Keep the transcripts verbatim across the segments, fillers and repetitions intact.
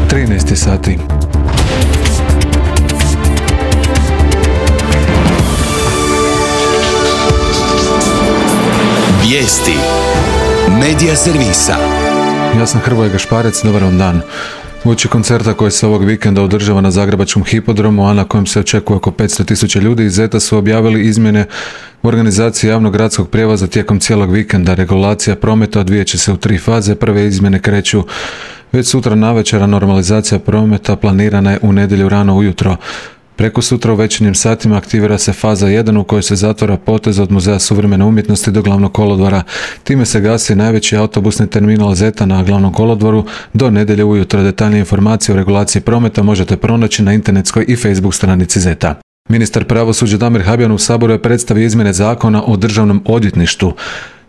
trinaest sati. Vijesti Medija servisa. Ja sam Hrvoje Gašparec, dobar vam dan. Uoči koncerta koji se ovog vikenda održava na Zagrebačkom hipodromu, a na kojem se očekuje oko petsto tisuća ljudi, iz ZET-a su objavili izmjene u organizaciji javnog gradskog prijevoza tijekom cijelog vikenda. Regulacija prometa odvijat će se u tri faze. Prve izmjene kreću već sutra navečer, a normalizacija prometa planirana je u nedjelju rano ujutro. Preko sutra u večernjim satima aktivira se faza jedan u kojoj se zatvara potez od Muzeja suvremene umjetnosti do Glavnog kolodvora. Time se gasi najveći autobusni terminal ZET-a na Glavnom kolodvoru do nedjelje ujutro. Detaljnije informacije o regulaciji prometa možete pronaći na internetskoj i Facebook stranici ZET-a. Ministar pravosuđa Damir Habijan u Saboru je predstavio izmjene Zakona o državnom odvjetništvu.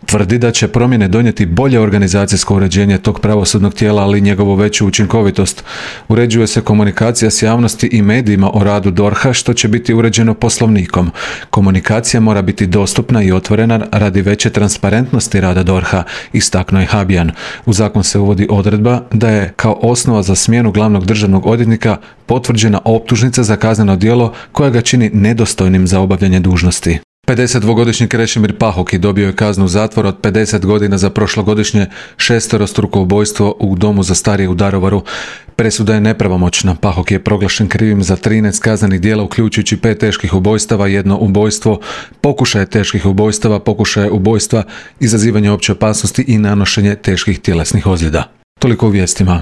Tvrdi da će promjene donijeti bolje organizacijsko uređenje tog pravosudnog tijela, ali i njegovu veću učinkovitost. Uređuje se komunikacija s javnosti i medijima o radu D O R H-a, što će biti uređeno poslovnikom. Komunikacija mora biti dostupna i otvorena radi veće transparentnosti rada D O R H-a, istaknuo je Habijan. U zakon se uvodi odredba da je kao osnova za smjenu glavnog državnog odvjetnika potvrđena optužnica za kazneno djelo koja ga čini nedostojnim za obavljanje dužnosti. pedesetdvogodišnji Krešimir Pahoki dobio je kaznu zatvora od pedeset godina za prošlogodišnje šesterostruko ubojstvo u domu za starije u Daruvaru. Presuda je nepravomoćna. Pahoki je proglašen krivim za trinaest kaznenih djela, uključujući pet teških ubojstava, jedno ubojstvo, pokušaje teških ubojstava, pokušaje ubojstva, izazivanje opće opasnosti i nanošenje teških tjelesnih ozljeda. Toliko u vijestima.